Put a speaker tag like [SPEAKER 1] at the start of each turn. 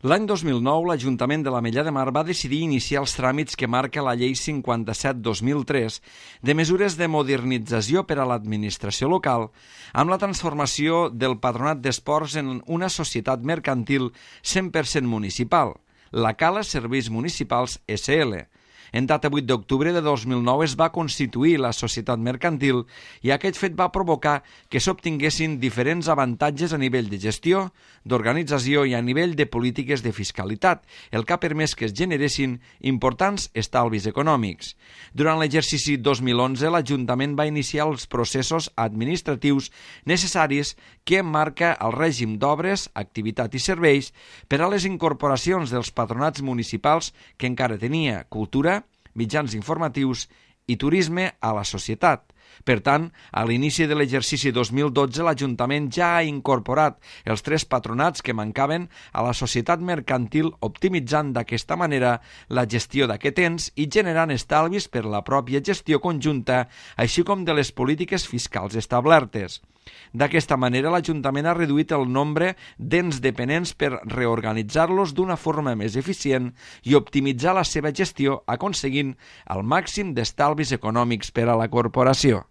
[SPEAKER 1] L'any 2009, l'Ajuntament de l'Ametlla de Mar va decidir iniciar els tràmits que marca la Llei 57/2003 de mesures de modernització per a l'administració local amb la transformació del Patronat d'Esports en una societat mercantil 100% municipal, la Cala Serveis Municipals SL. En data 8 d'octubre de 2009 es va constituir la societat mercantil i aquest fet va provocar que s'obtinguessin diferents avantatges a nivell de gestió, d'organització i a nivell de polítiques de fiscalitat, el que ha permès que es generessin importants estalvis econòmics. Durant l'exercici 2011, l'Ajuntament va iniciar els processos administratius necessaris que marca el règim d'obres, activitat i serveis per a les incorporacions dels patronats municipals que encara tenia cultura, mitjans informatius i turisme a la societat. Per tant, a l'inici de l'exercici 2012, l'Ajuntament ja ha incorporat els 3 patronats que mancaven a la societat mercantil, optimitzant d'aquesta manera la gestió d'aquest ens i generant estalvis per la pròpia gestió conjunta, així com de les polítiques fiscals establertes. D'aquesta manera, l'Ajuntament ha reduït el nombre d'ens dependents per reorganitzar-los d'una forma més eficient i optimitzar la seva gestió, aconseguint el màxim d'estalvis econòmics per a la corporació.